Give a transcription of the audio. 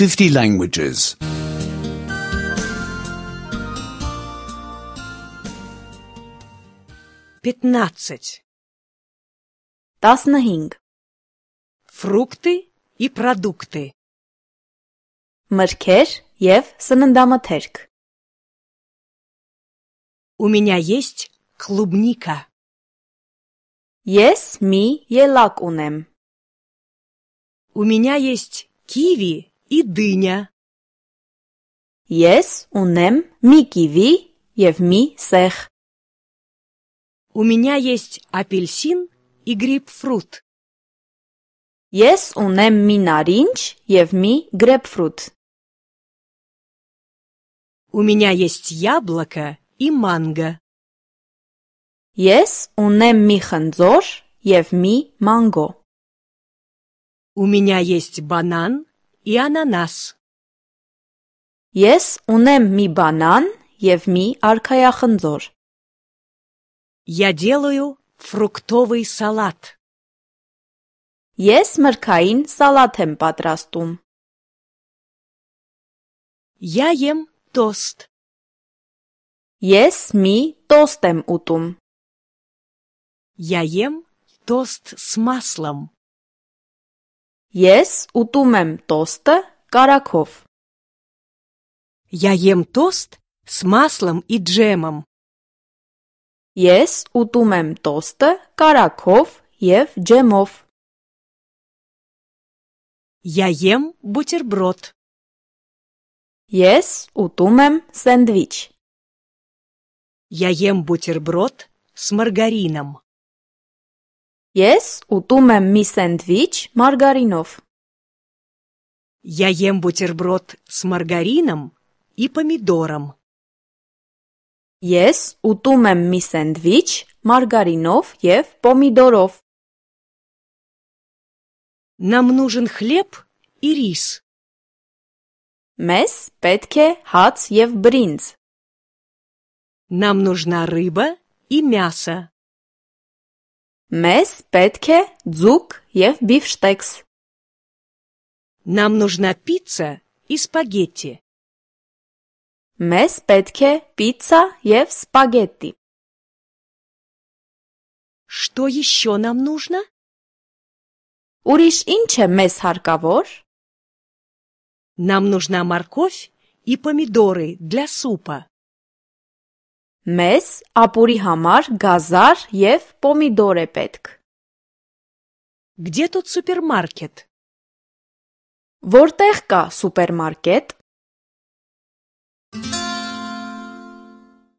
50 languages. 15. 15. Фрукты и продукты. Մրգեր և սննդամթերք. У меня есть клубника. Ես մի ելակ ունեմ. У меня есть киви и дыня. Ես ունեմ մի կիվի և մի սեղ. У меня есть апельсин и грейпфрут. Ես ունեմ մի նարինջ և մի գրեփֆրուտ. У меня есть яблоко и манго. Ես ունեմ մի խնձոր և մի մանգո. У меня есть банан и ананас. Ես ունեմ մի բանան և մի արքայախնձոր. Я делаю фруктовый салат. Ես մրգային սալատ եմ պատրաստում. Я ем тост. Ես մի տոստ եմ ուտում. Я ем тост с маслом. Ես ուտում եմ տոստը կարագով. Я ем тост с маслом и джемом. Ես ուտում եմ տոստը կարագով և ջեմով. Я ем бутерброд. Ես ուտում եմ սենդվիչ. Я ем бутерброд с маргарином. Ես ուտում եմ մի սենդվիչ մարգարինով. Я ем бутерброд с маргарином и помидором. Ես ուտում եմ մի սենդվիչ մարգարինով և պոմիդորով. Нам нужен хлеб и рис. Մեզ պետք է հաց և բրինձ. Нам нужна рыба и мясо. Մեզ պետք է ձուկ և բիֆշտեքս. Нам нужна пицца и спагетти. Մեզ պետք է պիցցա և սպագետտի. Что еще нам нужно? Ուրիշ ինչ է մեզ հարկավոր? Нам нужна морковь и помидоры для супа. Մեզ ապուրի համար գազար և պոմիդոր է պետք. Где тут супермаркет? Որտեղ կա սուպերմարկետ?